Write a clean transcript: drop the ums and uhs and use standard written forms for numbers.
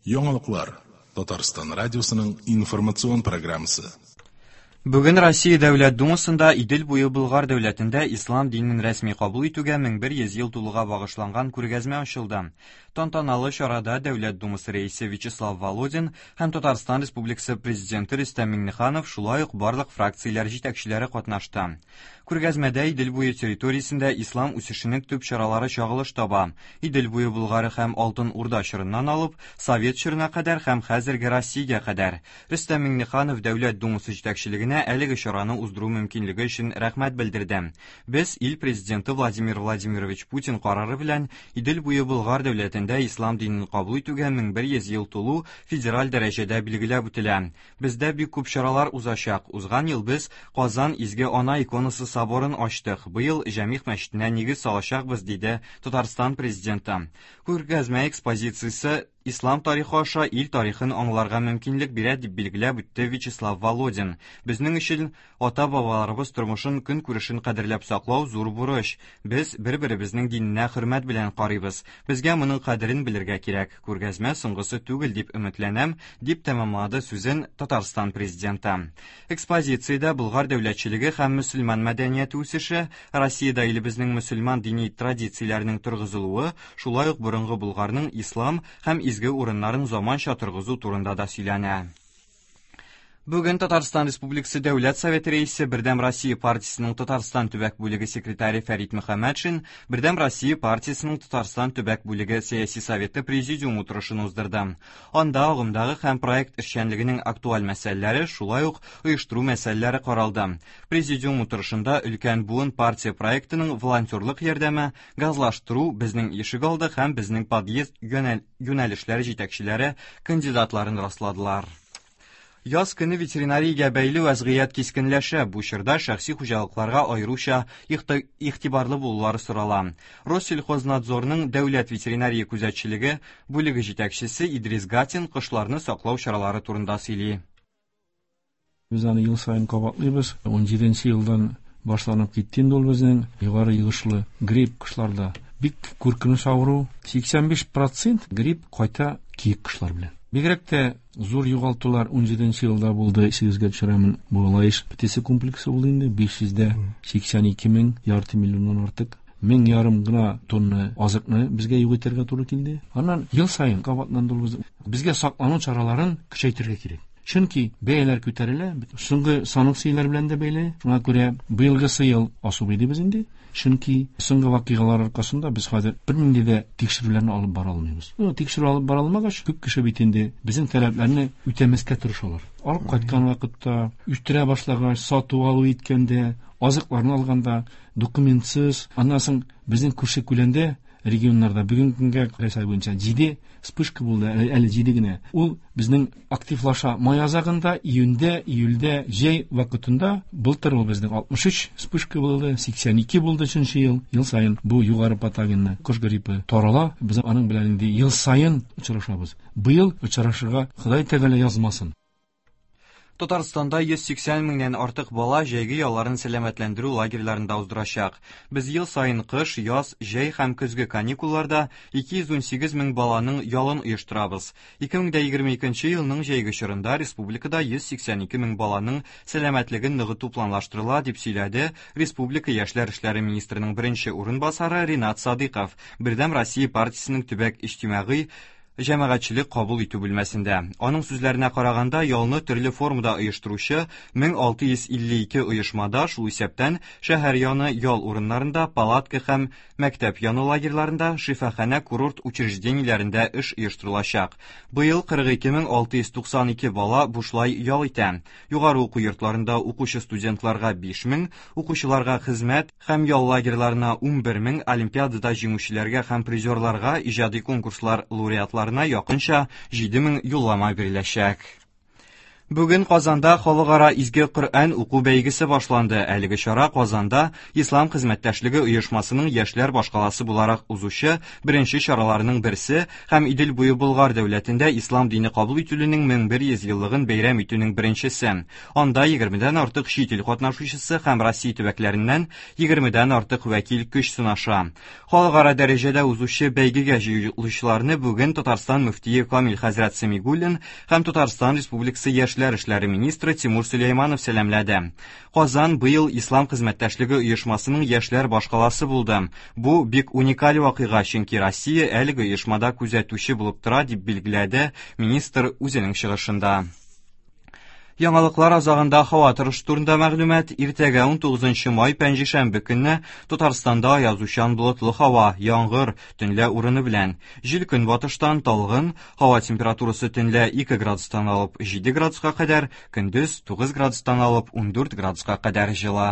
Яңалыклар. Татарстан радиосының информацион программасы. Бүген Россия Дәүләт Думасында Идел буе Болгар дәүләтендә ислам динен рәсми кабул итүгә 1100 ел тулуга багышланган күргәзмә ачылды. Тантаналы чарада Дәүләт Думасы рәисе Вячеслав Володин һәм Татарстан Республикасы Президенты Рөстәм Миңнеханов, шулай ук барлык фракцияләр җитәкчеләре катнашты. Күргәзмәдә Идел буе территориясендә ислам үсешенең төп чаралары чагылыш таба. Идел буе Болгары һәм Алтын Урда чорыннан алып, Совет чорына кадәр һәм хәзерге Россиягә кадәр. Рөстәм Миңнеханов Дәүләт Думасы җитәкчелегенә әлеге чараны уздыру мөмкинлеге өчен рәхмәт белдерде. Без ил Президенты Владимир Владимирович Путин карары белән Идел буе Болгар дәүләтендә ислам динен кабул итүгә 1100 ел тулу федераль дәрәҗәдә билгеләп үтелә. Бездә бик күп чаралар узачак. Узган ел без Казан Изге Ана иконасы соборын ачтык. Быел Җәмигъ мәчетенә нигез салачакбыз, диде Татарстан Президенты. Күргәзмә экспозициясе ислам тарихы аша ил тарихын аңларга мөмкинлек бирә, дип билгеләп үтте Вячеслав Володин. Безнең өчен ата-бабаларыбыз тормышын, көнкүрешен кадерләп саклау зур бурыч. Без бер-беребезнең диненә хөрмәт белән карыйбыз. Безгә моның кадерен белергә кирәк. Күргәзмә соңгысы түгел дип өметләнәм, дип тәмамлады сүзен Татарстан Президенты. Экспозициядә Болгар дәүләтчелеге һәм мөселман мәдәнияте үсеше, Россиядә илебезнең мөселман дини традицияләренең торгызылуы, шулай ук борынгы Болгарның ислам һәм изге урыннарын заманча торгызу турында да сөйләнә. Бүген Татарстан Республикасы Дәүләт Советы Рәисе, Бердәм Россия партиясенең Татарстан төбәк бүлеге секретаре Фәрит Мөхәммәтшин Бердәм Россия партиясенең Татарстан төбәк бүлеге сәяси советы президиум утырышын уздырды. Анда агымдагы һәм проект эшчәнлегенең актуаль мәсьәләләре, шулай ук оештыру мәсьәләләре каралды. Президиум утырышында өлкән буын партия проектының волонтерлык ярдәме, газлаштыру, безнең ишегалды һәм безнең подъезд юнәлешләре җитәкчеләре кандидатларын расладылар. Яз көне ветеринариягә бәйле вәзгыять кискенләшә. Бу чорда шәхси хуҗалыкларга аеруча игътибарлы булулары сорала. Россельхознадзорның дәүләт ветеринария күзәтчелеге бүлеге җитәкчесе Идрис Гатин кошларны саклау чаралары турында сөйли. Без аны ел саен кабатлыйбыз. 17 елдан башланып китте инде ул безнең югары йогышлы грипп кошларда. Бик куркыныч авыру. 85% грипп кайта киек кошлар белән. Бигрәк тә зур югалтулар 17 елда булды, исегезгә төшерәмен. Бу Лаеш птица комплексы булды инде, 582 мең, ярты миллионнан артык. Мең ярым гына тонна азыкны безгә юк итәргә туры килде. Аннан ел саен кабатланды ул. Безгә саклану чараларын көчәйтергә кирәк. Чөнки бәяләр күтәрелә, соңгы санкцияләр белән дә бәйле. Шуңа күрә быелгысы ел особый дибез инде. Чөнки соңгы вакыйгалар аркасында без хәзер бернинди дә тикшерүләрне алып бара алмыйбыз. Ну, тикшерү алып бара алмагач, күп кеше бит инде безнең таләпләрне үтәмәскә тырышалар. Алып кайткан вакытта, үстерә башлагач, сату алу иткәндә, азыкларны алганда, документсыз, аннан соң безнең күрше күләндә регионнарда бүгенге көнгә Рәсәй буенча 7 вспышка булды, әле 7 генә. Ул безнең активлаша май азагында, июньдә, июльдә, җәй вакытында. Былтыр ул безнең 63 вспышка булды, 82 булды өченче ел. Ел саен бу югары патогенны кош гриппы тарала. Без аның белән инде ел саен очрашабыз. Быел очрашырга Ходай Тәгалә язмасын. Татарстанда 180 меңнән артык бала җәйге ялларын сәламәтләндерү лагерьларында уздырачак. Без ел саен кыш, яз, җәй һәм көзге каникулларда 218 мең баланың ялын оештырабыз. 2022 елның җәйге чорында республикада 182 мең баланың сәламәтлеген ныгыту планлаштырыла, дип сөйләде республика яшьләр эшләре министрының беренче урынбасары Ринат Садыйков Бердәм Россия партиясенең төбәк иҗтимагый җәмәгатьчелек кабул итү бүлмәсендә. Аның сүзләренә караганда, ялны төрле формада оештыручы 1652 оешмада, шул исәптән шәһәр яны ял урыннарында, палатка һәм мәктәп яны лагерьларында, шифаханә курорт учреждениеләрендә эш оештырылачак. Быел 42692 бала бушлай ял итә. Югары уку йортларында укучы студентларга 5000, укучыларга хезмәт һәм ял лагерьларына 11 мең, олимпиадада җиңүчеләргә һәм призерларга, иҗади конкурслар лауреатларына якынча 7000 юллама биреләчәк. Бүген Казанда халыкара Изге Коръән уку бәйгесе башланды. Әлеге чара Казанда Ислам хезмәттәшлеге оешмасының яшьләр башкаласы буларак узучы беренче чараларының берсе һәм Идел буе Болгар дәүләтендә ислам дине кабул ителүнең 1100 еллыгын бәйрәм итүнең беренчесе. Анда 20дән артык чит ил катнашучысы һәм Россия төбәкләреннән 20дән артык вәкил көч сынаша. Халыкара дәрәҗәдә узучы бәйгегә җыелучыларны бүген Татарстан мөфтие Камил хәзрәт Сәмигуллин һәм Татарстан Республикасы яшьләр эшләре министры Тимур Сөләйманов сәламләде. Казан быел Ислам хезмәттәшлеге оешмасының яшьләр башкаласы булды. Бу бик уникаль вакыйга, чөнки Россия әлеге оешмада күзәтүче булып тора, дип билгеләде министр үзенең чыгышында. Яңалыклар азагында һава торышы турында мәгълүмат. Иртәгә 19 май пәнҗешәмбе көнне Татарстанда аязучан болытлы һава, яңгыр, төнлә урыны белән. Җил көнбатыштан талгын, һава температурасы төнлә 2 градустан алып 7 градуска кадәр, көндез 9 градустан алып 14 градуска кадәр җылы.